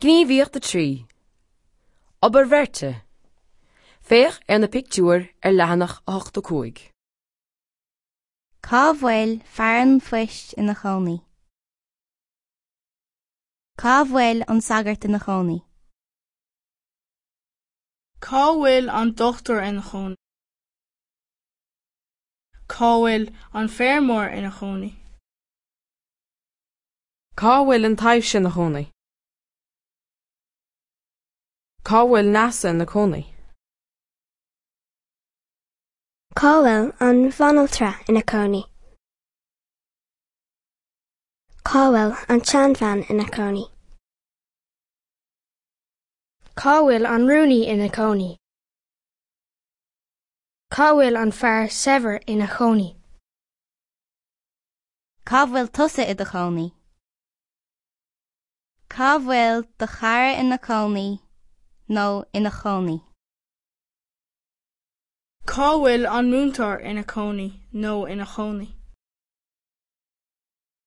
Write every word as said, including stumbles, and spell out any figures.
Gníomhaíocht a trí. Obair bheirte. Féach ar na pictiúir ar leathanach a hocht a cúig. Cá bhfuil fear an phoist ina chónaí? Cá bhfuil an sagart ina chónaí? Cá bhfuil an dochtúir ina chónaí? Cá bhfuil an feirmeoir ina chónaí? Cá bhfuil an taibhse ina chónaí? Cá bhfuil Neasa ina cónaí? Cá bhfuil an bhanaltra ina cónaí? Cá bhfuil an tseanbhean ina cónaí? Cá bhfuil an rúnaí ina cónaí? Cá bhfuil an fear saibhir ina chónaí? Cá bhfuil tusa i do chónaí? Cá bhfuil do chara ina cónaí nó ina chónaí? Cá bhfuil an múinteoir ina cónaí nó ina chónaí?